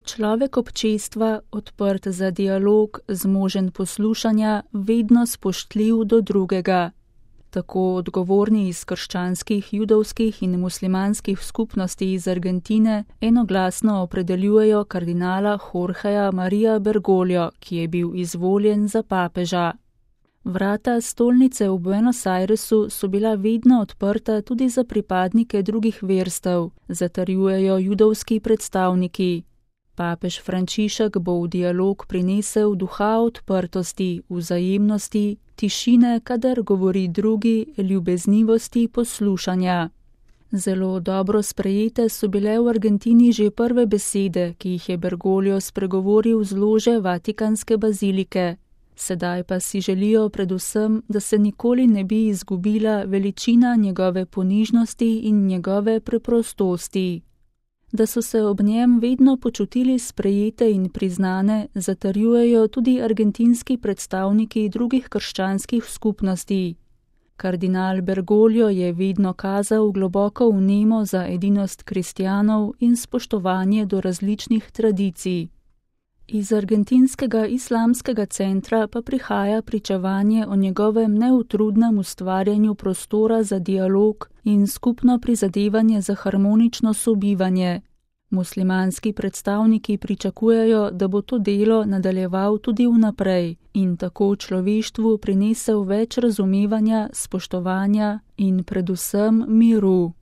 Človek občestva, odprt za dialog, zmožen poslušanja, vedno spoštljiv do drugega. Tako odgovorni iz krščanskih, judovskih in muslimanskih skupnosti iz Argentine enoglasno opredeljujejo kardinala Jorgeja Maria Bergoglio, ki je bil izvoljen za papeža. Vrata stolnice v Buenos Airesu so bila vedno odprta tudi za pripadnike drugih verstev, zatrjujejo judovski predstavniki. Papež Frančišek bo v dialog prinesel duha odprtosti, vzajemnosti, tišine, kadar govori drugi, ljubeznivosti, poslušanja. Zelo dobro sprejete so bile v Argentini že prve besede, ki jih je Bergoglio spregovoril z lože Vatikanske bazilike. Sedaj pa si želijo predvsem, da se nikoli ne bi izgubila veličina njegove ponižnosti in njegove preprostosti. Da so se ob njem vedno počutili sprejete in priznane, zatrjujejo tudi argentinski predstavniki drugih krščanskih skupnosti. Kardinal Bergoglio je vedno kazal globoko vnemo za edinost kristjanov in spoštovanje do različnih tradicij. Iz argentinskega islamskega centra pa prihaja pričevanje o njegovem neutrudnem ustvarjanju prostora za dialog in skupno prizadevanje za harmonično sobivanje. Muslimanski predstavniki pričakujejo, da bo to delo nadaljeval tudi vnaprej in tako človeštvu prinesel več razumevanja, spoštovanja in predvsem miru.